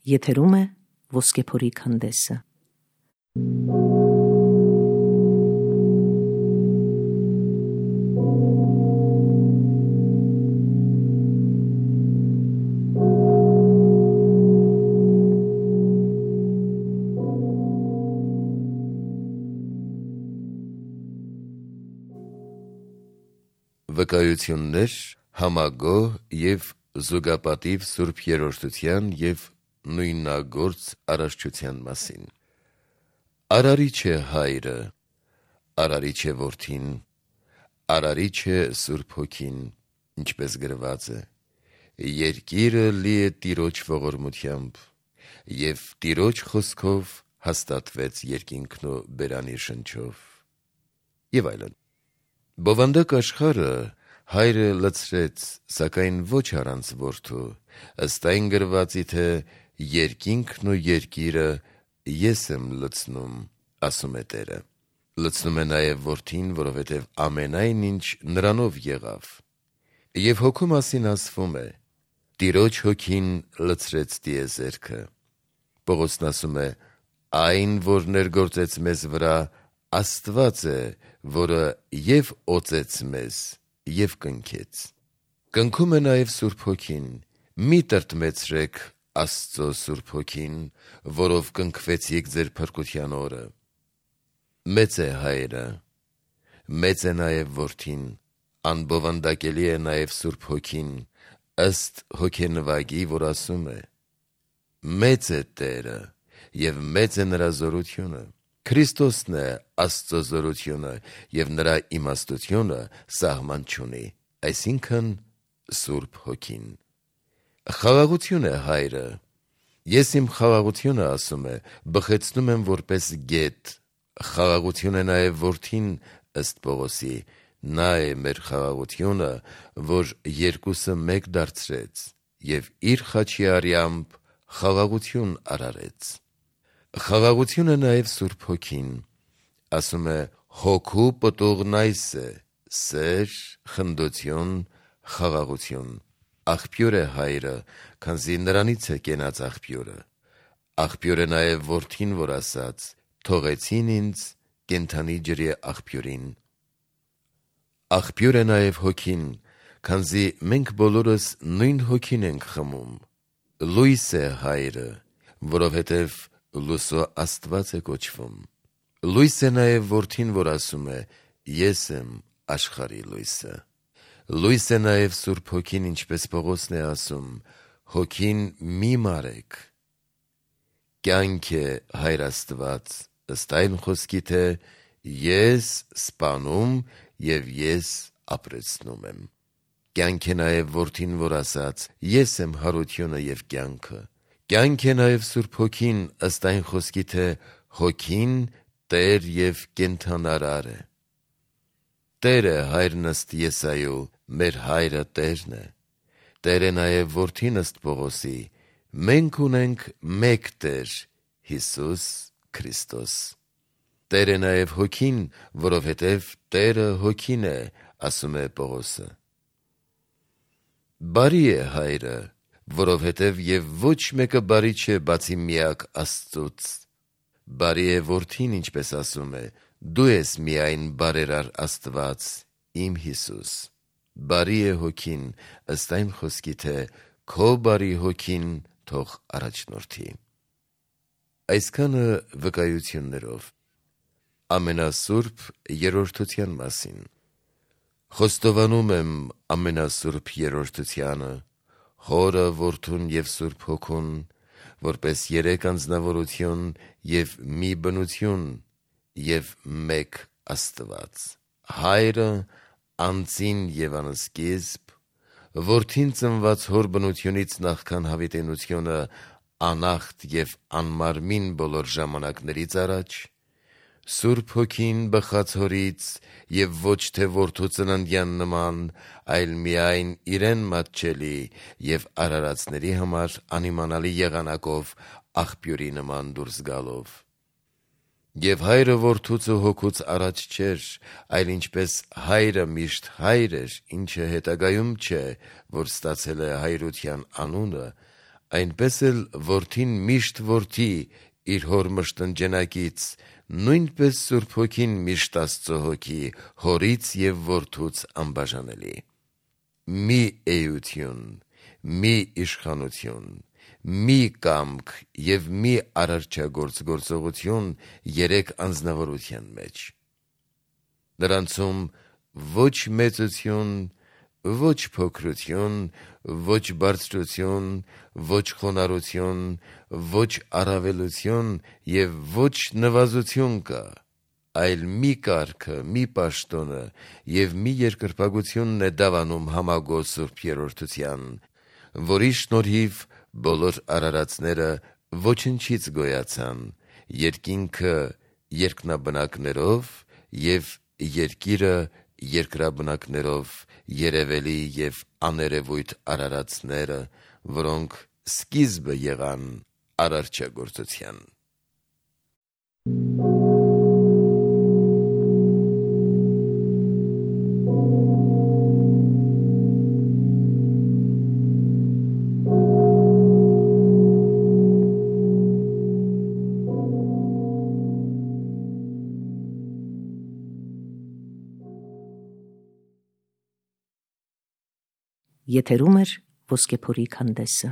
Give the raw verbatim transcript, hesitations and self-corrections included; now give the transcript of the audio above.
Եթերում է Ոսկեփորի քանդեսը։ Վկայություններ համագոհ և զուգապատիվ Սուրբ Երրորդության և նույնագործ արարչության մասին։ Արարիչ է Հայրը, արարիչ է Որդին, արարիչ է Սուրբ Հոգին, ինչպես գրված է. երկիրը լի է Տիրոջ ողորմությամբ, և Տիրոջ խոսքով հաստատվեց երկինքն ու բերանի շնչով։ Եվ այլն։ Բովանդակ աշխարհը Հայրը լցրեց, սակայն ոչ առանց Որդու, ըստ այն գրվածի, թե երկինքն ու երկիրը ես եմ լցնում, ասում է Տերը։ Լցնում է նաև Որդին, որովհետև ամենայն ինչ նրանով եղավ։ Եվ Հոգու մասին ասվում է. Տիրոջ Հոգին լցրեց տիեզերքը։ Պողոսն ասում է. այն, որ ներգործեց մեզ վրա, Աստված է, որը և օծեց մեզ, և կնքեց։ Կնքում է նաև Սուրբ Հոգին։ Մի տրտմեցրեք Աստծո Սուրբ Հոգին, որով կնքվեցիք ձեր փրկության օրը։ Մեծ է Հայրը, մեծ է նաև Որդին, անբովանդակելի է նաև Սուրբ Հոգին, ըստ հոգենվագի, որ ասում է. մեծ է Տերը, և մեծ է նրա զորությունը։ Քրիստոսն է Աստծո զորությունը, և նրա իմաստությունը սահման չունի, այսինքն Սուրբ Հոգին։ Խաղաղություն է Հայրը։ Ես իմ խաղաղությունը, ասում է, բխեցնում եմ որպես գետ։ Խաղաղություն է նաև Որդին, ըստ Պողոսի, նա է մեր խաղաղությունը, որ երկուսը մեկ դարձրեց և իր խաչի արյամբ խաղաղություն արարեց։ Խաղաղություն է նաև Սուրբ Հոգին։ Ասում է. Հոգու պտուղն այս է. սեր, խնդություն, խաղաղություն։ Աղբյուր է Հայրը, քանզի նրանից է կենաց աղբյուրը։ Աղբյուր է նաև Որդին, որ ասաց. թողեցին ինձ կենդանի ջրի աղբյուրին։ Աղբյուր է նաև Հոգին, քանզի մենք բոլորս նույն Հոգին ենք խմում։ Լույս է Հայրը, որովհետև լույսո Աստված է կոչվում։ Լույս է նաև Որդին, որ ասում է. ես եմ աշխարհի լույսը։ Լույս է նաև Սուրբ Հոգին, ինչպես Պողոսն է ասում. Հոգին մի մարեք։ Կյանք է Հայր Աստված, ըստ այն խոսքի, թե ես սպանում և ես ապրեցնում եմ։ Կյանք է նաև Որդին, որ ասաց. ես եմ հարությունը և կյանքը։ Կյանք է նաև Սուրբ Հոգին, ըստ այն խոսքի, թե Հոգին Տեր և կենդանարար է։ Տեր է Հայրն ըստ Եսայու, մեր Հայրը Տերն է։ Տեր է նաև Որդին ըստ Պողոսի. մենք ունենք մեկ Տեր, Հիսուս Քրիստոս։ Տեր է նաև Հոգին, որովհետև Տերը Հոգին է, ասում է Պողոսը։ Բարի է Հայրը, որովհետև և ոչ մեկը բարի չէ, բացի միակ Աստծուց։ Բարի է Որդին, ինչպես ասում է. դու ես միայն բարերար Աստված, իմ Հիսուս։ Բարի է Հոգին, ըստ այն խոսքի, թե քո բարի Հոգին թող առաջնորդի։ Այսքանը վկայություններով։ Ամենասուրբ Երրորդության մասին։ Խոստովանում եմ ամենասուրբ Երրորդությանը, Հորը, Որդուն և Սուրբ Հոգուն, որպես երեք անձնավորություն և մի բնություն և մեկ Աստված։ Հայրը անծին և անսկիզբ, Որդին ծնված հոր բնությունից նախքան հավիտենությունը անախտ և անմարմին բոլոր ժամանակներից առաջ, Սուրբ Հոգին բխած հորից և ոչ թե որդու ծննդյան նման, այլ միայն իրեն մատչելի և արարածների համար անիմանալի եղանակով աղբյուրի նման դուրս գալով։ Եվ Հայրը որդուց ու հոգուց առաջ չէր, այլ ինչպես Հայրը միշտ Հայր էր, ինչը հետագայում չէ, որ ստացել է հայրության անունը, այնպես էլ որդին միշտ որդի իր հոր մշտնջենակից, նույնպես Սուրբ Հոգին միշտ Աստծո հոգի, հորից և որդուց անբաժանելի։ Մի էություն, մի իշխանություն, մի կամք և մի արարչագործ գործողություն երեք անձնավորության մեջ։ Նրանցում ոչ մեծություն, ոչ փոքրություն, ոչ բարձրություն, ոչ խոնարհություն, ոչ առավելություն և ոչ նվազություն կա, այլ մի կարգը, մի պաշտոնը և մի երկրպագությունն է դավանում Համագոհ Սուրբ Երրորդության, որի շնորհիվ բոլոր արարածները ոչնչից գոյացան, երկինքը երկնաբնակներով և երկիրը երկրաբնակներով, երևելի և աներևույթ արարածները, որոնք սկիզբը եղան արարչագործության։ Եթերում է Ոսկեփորի քանդեսը։